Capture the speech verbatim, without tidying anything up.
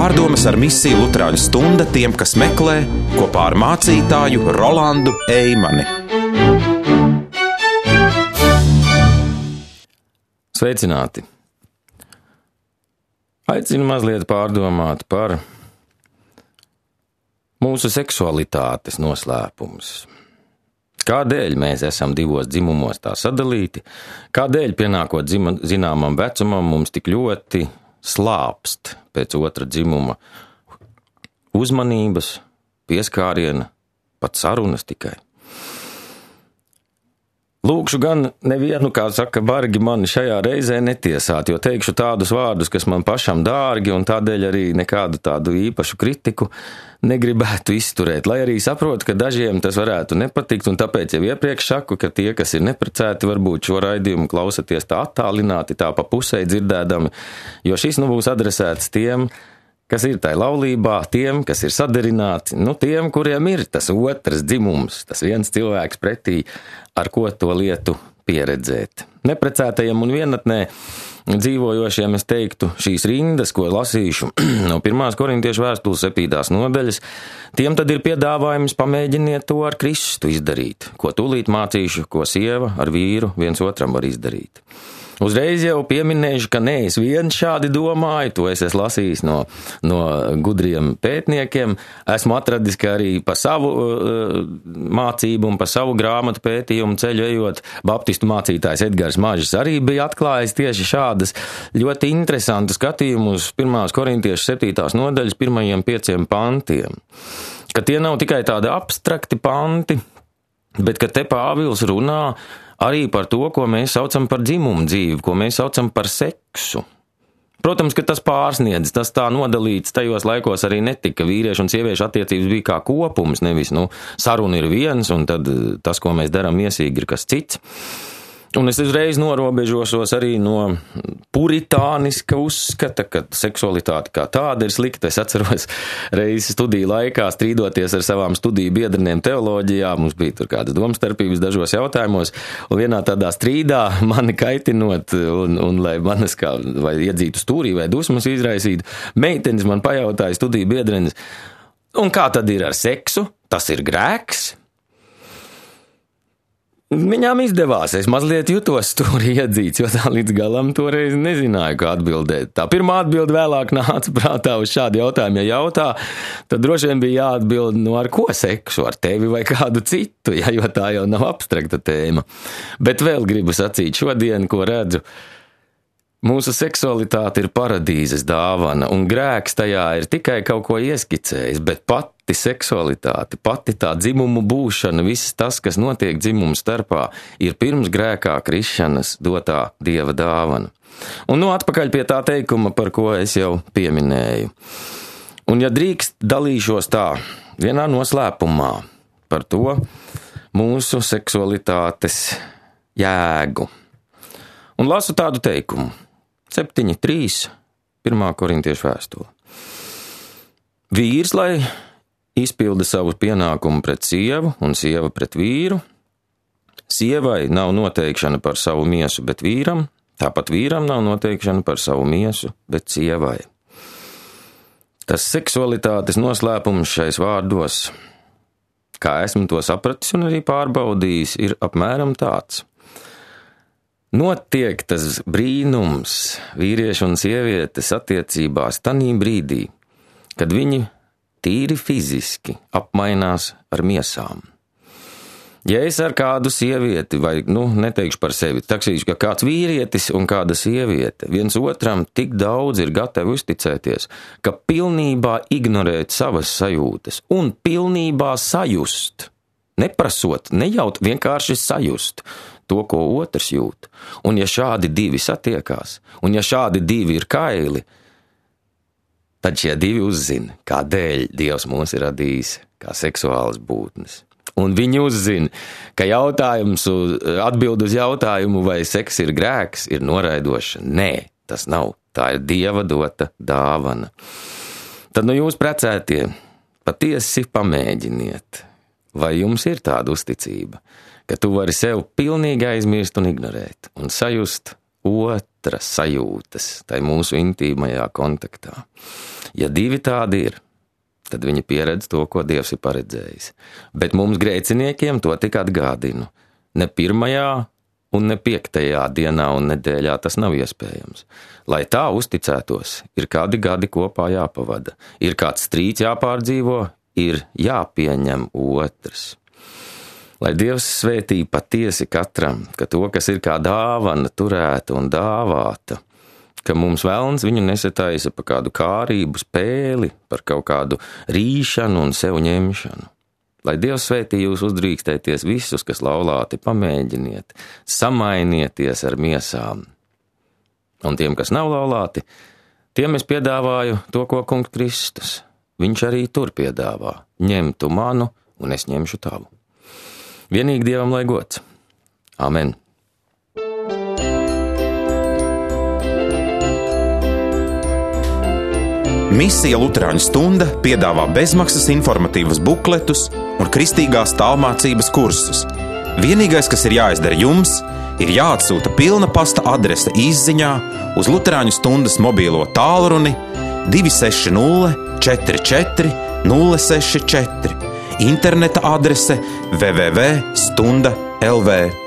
Pārdomas ar misiju Luterāņu stunda tiem, kas meklē, kopā ar mācītāju Rolandu Eimani. Sveicināti! Aicinu mazliet pārdomāt par mūsu seksualitātes noslēpumus. Kādēļ mēs esam divos dzimumos tā sadalīti? Kādēļ pienākot dzima, zināmam vecumam mums tik ļoti slāpst pēc otra dzimuma uzmanības, pieskāriena, pat sarunas tikai? Lūkšu gan nevienu, kā saka, bargi mani šajā reizē netiesāt, jo teikšu tādus vārdus, kas man pašam dārgi, un tādēļ arī nekādu tādu īpašu kritiku negribētu izturēt, lai arī saprotu, ka dažiem tas varētu nepatikt, un tāpēc jau iepriekš saku, ka tie, kas ir neprecēti, varbūt šo raidījumu klausaties tā attālināti, tā pa pusē dzirdēdami, jo šis nu būs adresēts tiem, kas ir tai laulībā, tiem, kas ir sadarināti, nu tiem, kuriem ir tas otrs dzimums, tas viens cilvēks pretī, ar ko to lietu pieredzēt. Neprecētajiem un vienatnē dzīvojošiem es teiktu šīs rindas, ko lasīšu no pirmās korintiešu vēstules septītās nodaļas, tiem tad ir piedāvājums pamēģiniet to ar Kristu izdarīt, ko tūlīt mācīšu, ko sieva ar vīru viens otram var izdarīt. Uzreiz jau pieminēšu, ka ne es viens šādi domāju, to es esmu lasījis no, no gudriem pētniekiem, esmu atradis, ka arī pa savu uh, mācību un pa savu grāmatu pētījumu ceļu ejot, baptistu mācītājs Edgars Mažis arī bija atklājis tieši šādas ļoti interesantas skatījumus pirmās korintiešu septītās nodaļas pirmajiem pieciem pantiem, ka tie nav tikai tādi abstrakti panti, bet ka te Pāvils runā arī par to, ko mēs saucam par dzimumu dzīvi, ko mēs saucam par seksu. Protams, ka tas pārsniedz, tas tā nodalīts tajos laikos arī netika. Vīriešu un sieviešu attiecības bija kā kopums, nevis, nu, saruna ir viens, un tad tas, ko mēs darām miesīgi, ir kas cits. Un es uzreiz norobežošos arī no puritāniska uzskata, ka seksualitāte kā tāda ir slikta. Es atceros reizi studiju laikā strīdoties ar savām studiju biedreniem teoloģijā, mums bija tur kādas domstarpības dažos jautājumos, un vienā tādā strīdā mani kaitinot, un, un lai manas kā, vai iedzītu stūrī vai dusmas izraisītu, meitenes man pajautāja studiju biedrenes, un kā tad ir ar seksu? Tas ir grēks? Viņām izdevās, es mazliet jutos stūri iedzīts, jo tā līdz galam toreiz nezināju, kā atbildēt. Tā pirmā atbilde vēlāk nāca prātā uz šādu jautājumu, ja jautā, tad droši vien bija jāatbild, nu ar ko seksu, ar tevi vai kādu citu, ja, jo tā jau nav abstrakta tēma. Bet vēl gribu sacīt šodien, ko redzu. Mūsu seksualitāte ir paradīzes dāvana, un grēks tajā ir tikai kaut ko ieskicējis, bet pati seksualitāte, pati tā dzimumu būšana, viss tas, kas notiek dzimumu starpā, ir pirms grēkā krišanas dotā Dieva dāvana. Un nu atpakaļ pie tā teikuma, par ko es jau pieminēju. Un ja drīkst, dalīšos tā, vienā noslēpumā par to mūsu seksualitātes jēgu. Un lasu tādu teikumu. septiņi trīs, pirmā korintiešu vēstule. Vīrs, lai izpilda savu pienākumu pret sievu un sieva pret vīru, sievai nav noteikšana par savu miesu, bet vīram, tāpat vīram nav noteikšana par savu miesu, bet sievai. Tas seksualitātes noslēpums šais vārdos, kā esmu to sapratis un arī pārbaudījis, ir apmēram tāds. Notiek tas brīnums vīriešu un sievietes attiecībās tanī brīdī, kad viņi tīri fiziski apmainās ar miesām. Ja es ar kādu sievieti, vai, nu, neteikšu par sevi, taksīšu, ka kāds vīrietis un kāda sieviete viens otram tik daudz ir gatavi uzticēties, ka pilnībā ignorēt savas sajūtas un pilnībā sajust, neprasot, nejaut, vienkārši sajust to, ko otrs jūt. Un ja šādi divi satiekās, un ja šādi divi ir kaili, tad šie divi uzzina, kādēļ Dievs mūs ir radījis kā seksuālas būtnes. Un viņi uzzina, ka jautājums, atbild uz jautājumu, vai seks ir grēks, ir noraidoša. Nē, tas nav. Tā ir Dieva dota dāvana. Tad nu jūs precētie, patiesi pamēģiniet, vai jums ir tāda uzticība, ka tu vari sev pilnīgi aizmirst un ignorēt, un sajust otra sajūtas, tai mūsu intīmajā kontaktā. Ja divi tādi ir, tad viņi pieredz to, ko Dievs ir paredzējis. Bet mums grēciniekiem to tik atgādinu. Ne pirmajā un ne piektajā dienā un nedēļā tas nav iespējams. Lai tā uzticētos, ir kādi gadi kopā jāpavada, ir kāds strīds jāpārdzīvo, ir jāpieņem otrs. Lai Dievs svētī patiesi katram, ka to, kas ir kā dāvana, turēta un dāvāta, ka mums velns viņu nesataisa pa kādu kārību spēli, par kaut kādu rīšanu un sev ņemšanu. Lai Dievs svētī jūs uzdrīkstēties visus, kas laulāti, pamēģiniet, samainieties ar miesām. Un tiem, kas nav laulāti, tiem es piedāvāju to, ko kungs Kristus. Viņš arī tur piedāvā, ņem tu manu un es ņemšu tavu. Vienīgi Dievam lai gods. Amen. Misija Luterāņu stunda piedāvā bezmaksas informatīvus bukletus un kristīgās tālmācības kursus. Vienīgais, kas ir jāizdara jums, ir jāatsūta pilna pasta adrese izziņā uz Luterāņu stundas mobīlo tālruni divi seši nulle četri četri nulle seši četri, interneta adrese w w w punkt stunda punkt l v.